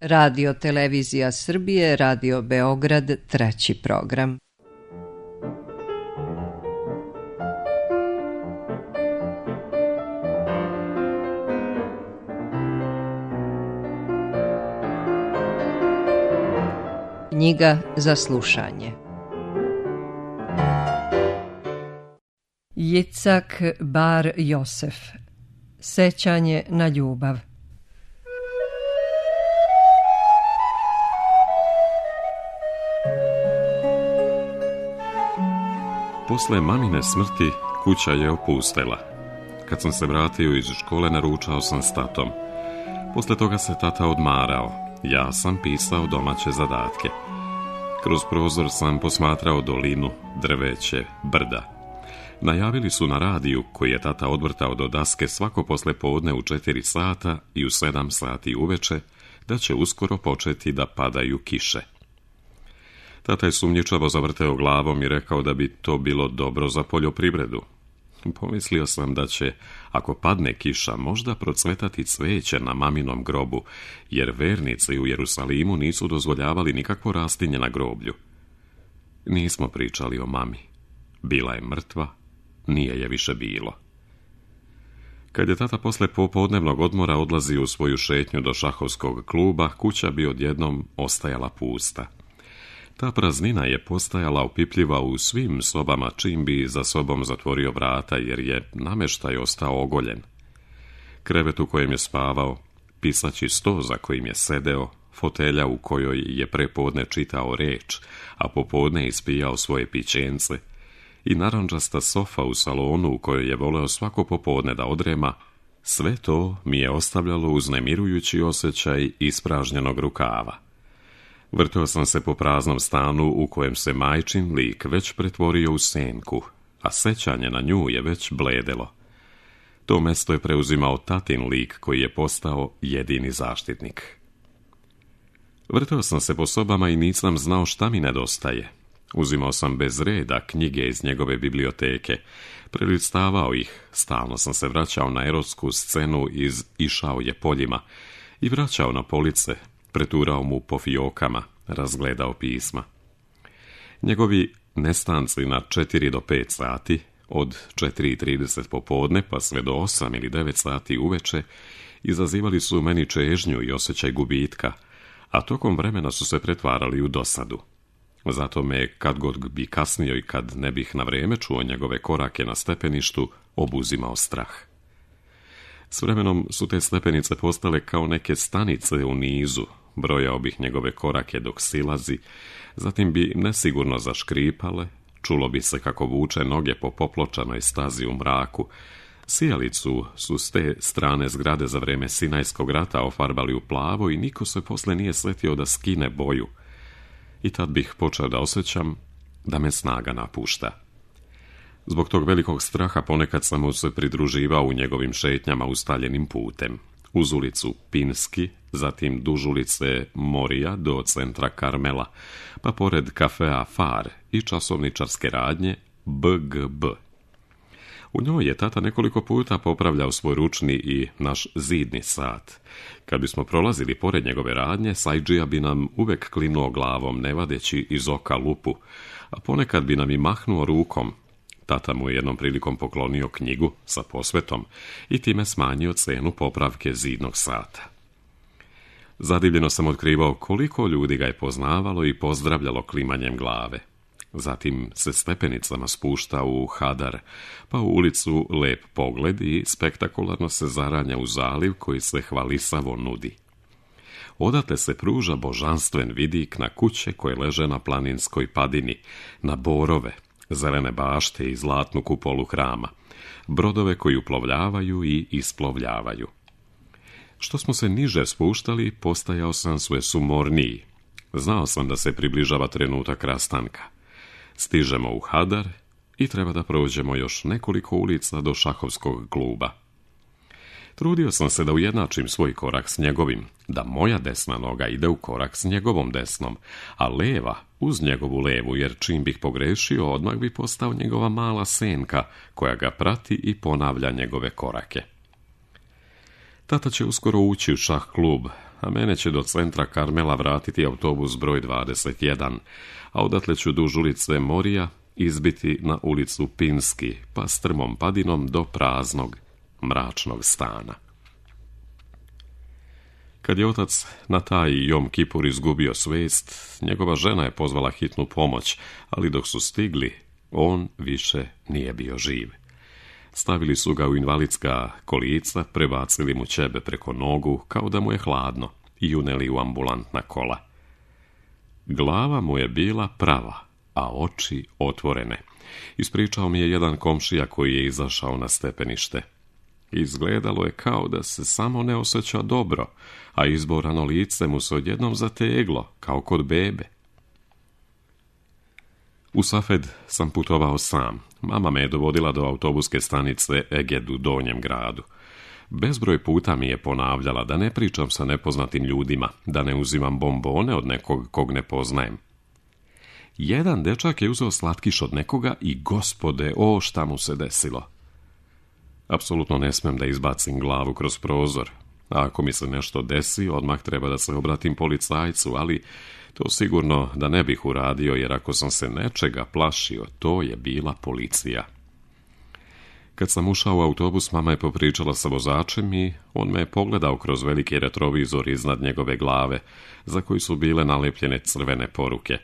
Radio Televizija Srbije, Radio Beograd, treći program. Knjiga za slušanje. Jicak Bar Josef. Sećanje na ljubav. Posle mamine smrti kuća je opustela. Kad sam se vratio iz škole, naručao sam s tatom. Posle toga se tata odmarao. Ja sam pisao domaće zadatke. Kroz prozor sam posmatrao dolinu, drveće, brda. Najavili su na radiju, koji je tata odvrtao do daske svako poslepodne u 4 sata i u 7 sati uveče, da će uskoro početi da padaju kiše. Tata je sumnjičavo zavrteo glavom i rekao da bi to bilo dobro za poljoprivredu. Pomislio sam da će, ako padne kiša, možda procvetati cveće na maminom grobu, jer vernici u Jerusalimu nisu dozvoljavali nikakvo rastinje na groblju. Nismo pričali o mami. Bila je mrtva, nije je više bilo. Kad je tata posle popodnevnog odmora odlazio u svoju šetnju do šahovskog kluba, kuća bi odjednom ostajala pusta. Ta praznina je postajala opipljiva u svim sobama čim bi za sobom zatvorio vrata, jer je nameštaj ostao ogoljen. Krevet u kojem je spavao, pisaći sto za kojim je sedeo, fotelja u kojoj je prepodne čitao reč, a popodne ispijao svoje pićence, i narandžasta sofa u salonu u kojoj je voleo svako popodne da odrema, sve to mi je ostavljalo uznemirujući osjećaj ispražnjenog rukava. Vrteo sam se po praznom stanu u kojem se majčin lik već pretvorio u senku, a sećanje na nju je već bledelo. To mesto je preuzimao tatin lik koji je postao jedini zaštitnik. Vrteo sam se po sobama i nisam znao šta mi nedostaje. Uzimao sam bez reda knjige iz njegove biblioteke, prelistavao ih, stalno sam se vraćao na erotsku scenu iz Išao je poljima i vraćao na police, preturao mu po fijokama, razgledao pisma. Njegovi nestanci na 4 do 5 sati, od 4:30 popodne pa sve do 8 ili 9 sati uveče, izazivali su u meni čežnju i osjećaj gubitka, a tokom vremena su se pretvarali u dosadu. Zato me, kad god bi kasnio i kad ne bih na vreme čuo njegove korake na stepeništu, obuzimao strah. S vremenom su te stepenice postale kao neke stanice u nizu, brojao bih njegove korake dok silazi, zatim bi nesigurno zaškripale, čulo bi se kako vuče noge po popločanoj stazi u mraku. Sijalicu su s te strane zgrade za vreme Sinajskog rata ofarbali u plavo i niko se posle nije sletio da skine boju. I tad bih počeo da osjećam da me snaga napušta. Zbog tog velikog straha ponekad sam mu se pridruživao u njegovim šetnjama ustaljenim putem. Uz ulicu Pinski, zatim duž ulice Morija do centra Karmela, pa pored kafea Far i časovničarske radnje BGB. U njoj je tata nekoliko puta popravljao svoj ručni i naš zidni sat. Kad bismo prolazili pored njegove radnje, Sajđija bi nam uvek klinuo glavom, ne vadeći iz oka lupu, a ponekad bi nam i mahnuo rukom. Tata mu je jednom prilikom poklonio knjigu sa posvetom i time smanjio cenu popravke zidnog sata. Zadivljeno sam otkrivao koliko ljudi ga je poznavalo i pozdravljalo klimanjem glave. Zatim se stepenicama spušta u Hadar, pa u ulicu Lep pogled i spektakularno se zaranja u zaliv koji se hvalisavo nudi. Odatle se pruža božanstven vidik na kuće koje leže na planinskoj padini, na borove, zelene bašte i zlatnu kupolu hrama, brodove koji uplovljavaju i isplovljavaju. Što smo se niže spuštali, postajao sam sve sumorniji. Znao sam da se približava trenutak rastanka. Stižemo u Hadar i treba da prođemo još nekoliko ulica do šahovskog kluba. Trudio sam se da ujednačim svoj korak s njegovim, da moja desna noga ide u korak s njegovom desnom, a leva uz njegovu levu, jer čim bih pogrešio, odmah bi postao njegova mala senka koja ga prati i ponavlja njegove korake. Tata će uskoro ući u šah klub, a mene će do centra Karmela vratiti autobus broj 21, a odatle ću duž ulice Morija izbiti na ulicu Pinski, pa strmom padinom do praznog, mračnog stana. Kad je otac na taj Jom Kipur izgubio svijest, njegova žena je pozvala hitnu pomoć, ali dok su stigli, on više nije bio živ. Stavili su ga u invalidska kolica, prebacili mu ćebe preko nogu, kao da mu je hladno, i uneli u ambulantna kola. Glava mu je bila prava, a oči otvorene. Ispričao mi je jedan komšija koji je izašao na stepenište. Izgledalo je kao da se samo ne osjeća dobro, a izborano lice mu se odjednom zateglo, kao kod bebe. U Safed sam putovao sam. Mama me je dovodila do autobuske stanice Eged u Donjem gradu. Bezbroj puta mi je ponavljala da ne pričam sa nepoznatim ljudima, da ne uzimam bombone od nekog kog ne poznajem. Jedan dečak je uzeo slatkiš od nekoga i gospode, o šta mu se desilo. Apsolutno ne smem da izbacim glavu kroz prozor. A ako mi se nešto desi, odmah treba da se obratim policajcu, ali to sigurno da ne bih uradio, jer ako sam se nečega plašio, to je bila policija. Kad sam ušao u autobus, mama je popričala sa vozačem i on me je pogledao kroz veliki retrovizor iznad njegove glave, za koji su bile nalepljene crvene poruke.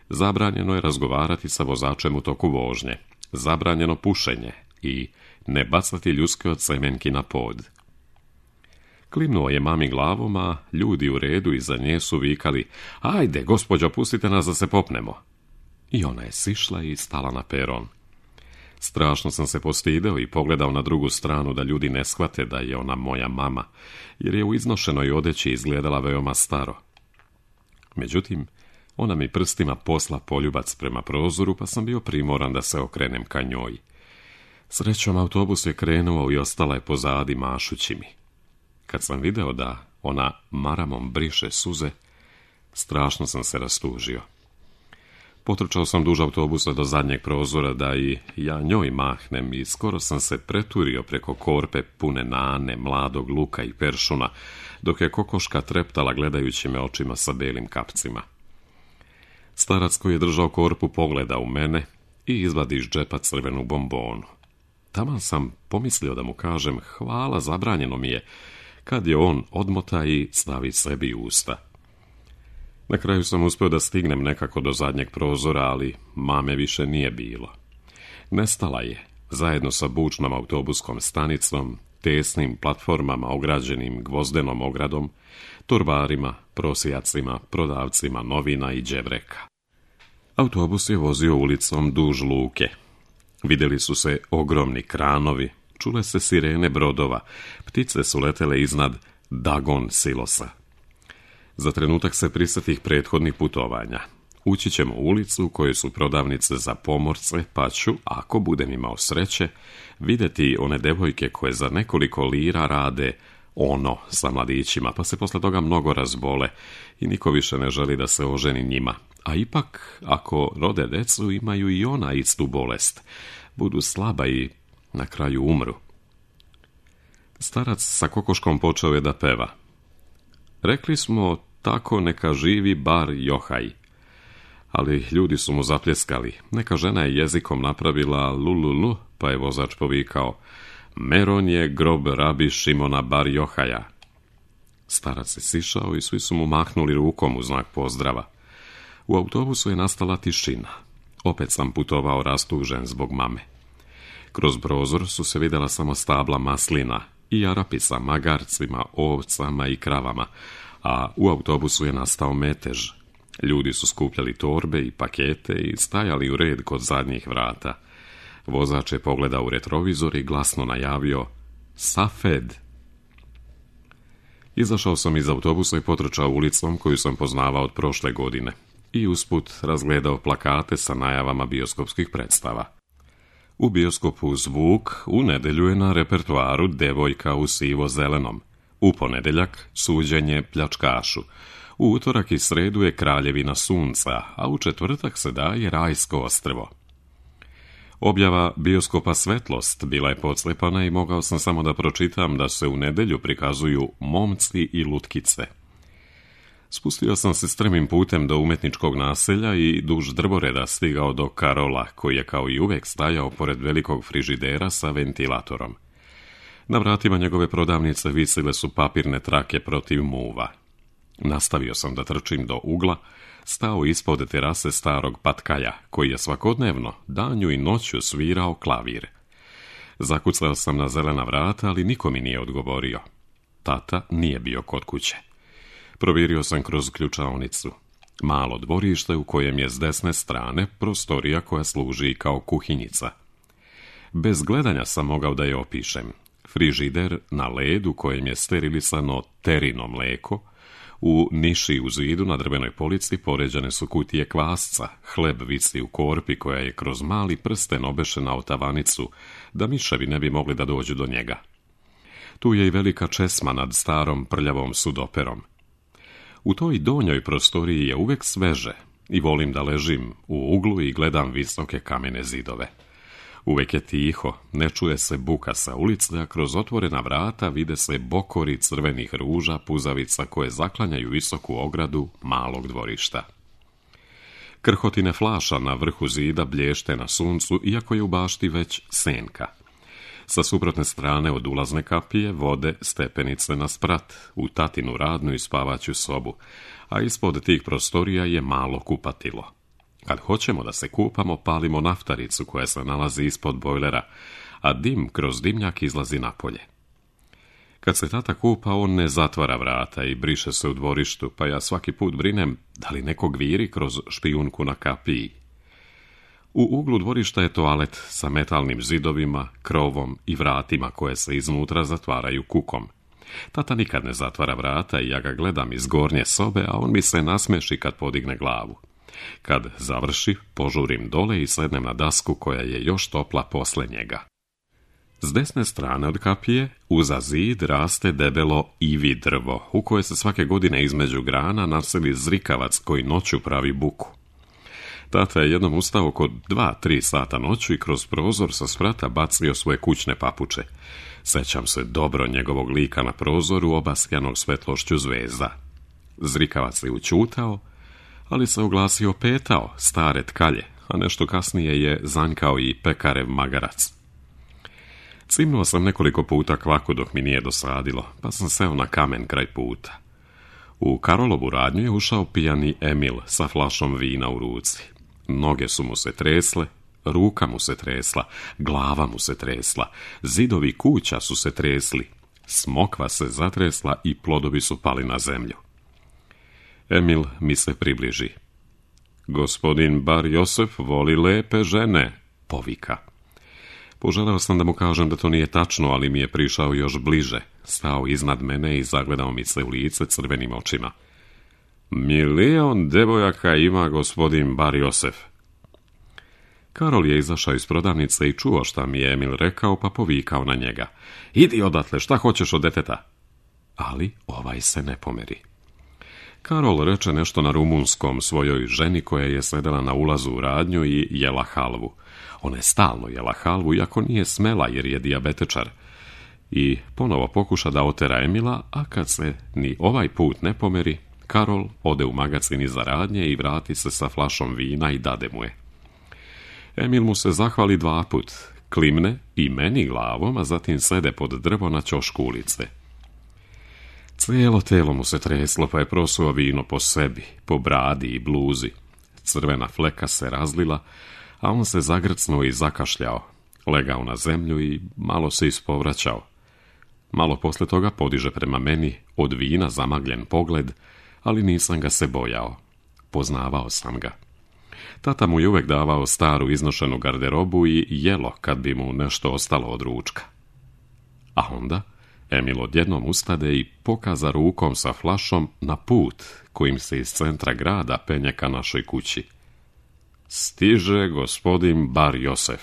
Zabranjeno je razgovarati sa vozačem u toku vožnje, zabranjeno pušenje i ne bacati ljuske od semenki na pod. Klimnuo je mami glavom, a ljudi u redu iza nje su vikali: "Ajde, gospođo, pustite nas da se popnemo." I ona je sišla i stala na peron. Strašno sam se postideo i pogledao na drugu stranu da ljudi ne shvate da je ona moja mama, jer je u iznošenoj odeći izgledala veoma staro. Međutim, ona mi prstima posla poljubac prema prozoru, pa sam bio primoran da se okrenem ka njoj. Srećom, autobus je krenuo i ostala je pozadi mašući mi. Kad sam video da ona maramom briše suze, strašno sam se rastužio. Potrčao sam duž autobusa do zadnjeg prozora da i ja njoj mahnem i skoro sam se preturio preko korpe pune nane, mladog luka i peršuna, dok je kokoška treptala gledajući me očima sa belim kapcima. Starac koji je držao korpu pogleda u mene i izvadi iz džepa crvenu bombonu. Taman sam pomislio da mu kažem hvala, zabranjeno mi je, kad je on odmota i stavi sebi u usta. Na kraju sam uspio da stignem nekako do zadnjeg prozora, ali mame više nije bilo. Nestala je, zajedno sa bučnom autobuskom stanicom, tesnim platformama ograđenim gvozdenom ogradom, torbarima, prosijacima, prodavcima novina i đevreka. Autobus je vozio ulicom duž luke. Vidjeli su se ogromni kranovi, čule se sirene brodova, ptice su letele iznad Dagon silosa. Za trenutak se prisjetih prethodnih putovanja. Ući ćemo u ulicu u kojoj su prodavnice za pomorce, pa ću, ako budem imao sreće, vidjeti one devojke koje za nekoliko lira rade ono sa mladićima, pa se posle toga mnogo razbole i niko više ne želi da se oženi njima. A ipak, ako rode decu, imaju i ona istu bolest. Budu slaba i na kraju umru. Starac sa kokoškom počeo je da peva. Rekli smo, tako neka živi bar Johaj. Ali ljudi su mu zapljeskali. Neka žena je jezikom napravila lululu, pa je vozač povikao: Meron je grob rabi Šimona bar Johaja. Starac je sišao i svi su mu mahnuli rukom u znak pozdrava. U autobusu je nastala tišina. Opet sam putovao rastužen zbog mame. Kroz prozor su se vidjela samo stabla maslina i Arapi sa magarcima, ovcama i kravama, a u autobusu je nastao metež. Ljudi su skupljali torbe i pakete i stajali u red kod zadnjih vrata. Vozač je pogledao u retrovizor i glasno najavio: Safed. Izašao sam iz autobusa i potrčao ulicom koju sam poznavao od prošle godine i usput razgledao plakate sa najavama bioskopskih predstava. U bioskopu Zvuk u nedjelju je na repertoaru Devojka u sivo-zelenom, u ponedjeljak Suđenje pljačkašu, u utorak i sredu je Kraljevina sunca, a u četvrtak se daje Rajsko ostrvo. Objava bioskopa Svetlost bila je podslepana i mogao sam samo da pročitam da se u nedjelju prikazuju Momci i lutkice. Spustio sam se strmim putem do umetničkog naselja i duž drvoreda stigao do Karola, koji je kao i uvijek stajao pored velikog frižidera sa ventilatorom. Na vratima njegove prodavnice visile su papirne trake protiv muva. Nastavio sam da trčim do ugla, stao ispod terase starog patkaja, koji je svakodnevno, danju i noću svirao klavir. Zakucao sam na zelena vrata, ali niko mi nije odgovorio. Tata nije bio kod kuće. Provirio sam kroz ključaonicu. Malo dvorište u kojem je s desne strane prostorija koja služi kao kuhinjica. Bez gledanja sam mogao da je opišem. Frižider na ledu kojem je sterilisano terino mleko, u niši u zidu na drvenoj polici poređane su kutije kvasca, hleb visi u korpi koja je kroz mali prsten obešena o tavanicu, da miševi ne bi mogli da dođu do njega. Tu je i velika česma nad starom prljavom sudoperom. U toj donjoj prostoriji je uvek sveže i volim da ležim u uglu i gledam visoke kamene zidove. Uvek je tiho, ne čuje se buka sa ulice, a kroz otvorena vrata vide se bokori crvenih ruža, puzavica koje zaklanjaju visoku ogradu malog dvorišta. Krhotine flaša na vrhu zida blješte na suncu, iako je u bašti već senka. Sa suprotne strane od ulazne kapije vode stepenice na sprat, u tatinu radnu i spavaću sobu, a ispod tih prostorija je malo kupatilo. Kad hoćemo da se kupamo, palimo naftaricu koja se nalazi ispod bojlera, a dim kroz dimnjak izlazi napolje. Kad se tata kupa, on ne zatvara vrata i briše se u dvorištu, pa ja svaki put brinem da li neko gviri kroz špijunku na kapiji. U uglu dvorišta je toalet sa metalnim zidovima, krovom i vratima koje se iznutra zatvaraju kukom. Tata nikad ne zatvara vrata i ja ga gledam iz gornje sobe, a on mi se nasmeši kad podigne glavu. Kad završi, požurim dole i sednem na dasku koja je još topla posle njega. S desne strane od kapije, uza zid, raste debelo ivi drvo, u koje se svake godine između grana naseli zrikavac koji noću pravi buku. Tata je jednom ustao oko 2-3 sata noću i kroz prozor sa sprata bacio svoje kućne papuče. Sećam se dobro njegovog lika na prozoru obasjanog svetlošću zvezda. Zrikavac je učutao, ali se oglasio petao, stare tkalje, a nešto kasnije je zanjkao i pekarev magarac. Cimnuo sam nekoliko puta kvaku dok mi nije dosadilo, pa sam seo na kamen kraj puta. U Karolovu radnju je ušao pijani Emil sa flašom vina u ruci. Noge su mu se tresle, ruka mu se tresla, glava mu se tresla, zidovi kuća su se tresli, smokva se zatresla i plodovi su pali na zemlju. Emil mi se približi. Gospodin Bar Josef voli lepe žene, povika. Poželeo sam da mu kažem da to nije tačno, ali mi je prišao još bliže, stao iznad mene i zagledao mi se u lice crvenim očima. 1.000.000 devojaka ima gospodin Bar Josef. Karol je izašao iz prodavnice i čuo šta mi je Emil rekao, pa povikao na njega. Idi odatle, šta hoćeš od deteta? Ali ovaj se ne pomeri. Karol reče nešto na rumunskom svojoj ženi koja je sedela na ulazu u radnju i jela halvu. Ona je stalno jela halvu, iako nije smela jer je dijabetečar. I ponovo pokuša da otera Emila, a kad se ni ovaj put ne pomeri, Karol ode u magacin iza radnje i vrati se sa flašom vina i dade mu je. Emil mu se zahvali 2 put, klimne i meni glavom, a zatim sede pod drvo na ćošku ulice. Cijelo telo mu se treslo, pa je prosuo vino po sebi, po bradi i bluzi. Crvena fleka se razlila, a on se zagrcnuo i zakašljao, legao na zemlju i malo se ispovraćao. Malo posle toga podiže prema meni od vina zamagljen pogled, ali nisam ga se bojao. Poznavao sam ga. Tata mu je uvek davao staru iznošenu garderobu i jelo kad bi mu nešto ostalo od ručka. A onda Emil odjednom ustade i pokaza rukom sa flašom na put kojim se iz centra grada penje ka našoj kući. Stiže gospodin Bar Josef.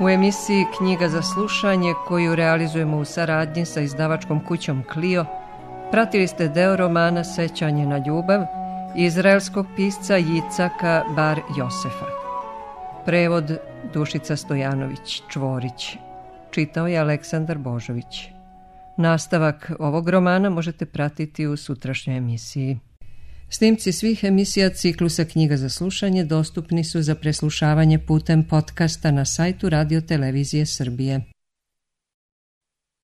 U emisiji Knjiga za slušanje, koju realizujemo u saradnji sa izdavačkom kućom Clio, pratili ste deo romana Sećanje na ljubav izraelskog pisca Jicaka Bar Josefa. Prevod Dušica Stojanović Čvorić. Čitao je Aleksandar Božović. Nastavak ovog romana možete pratiti u sutrašnjoj emisiji. Snimci svih emisija ciklusa Knjiga za slušanje dostupni su za preslušavanje putem podcasta na sajtu Radio Televizije Srbije.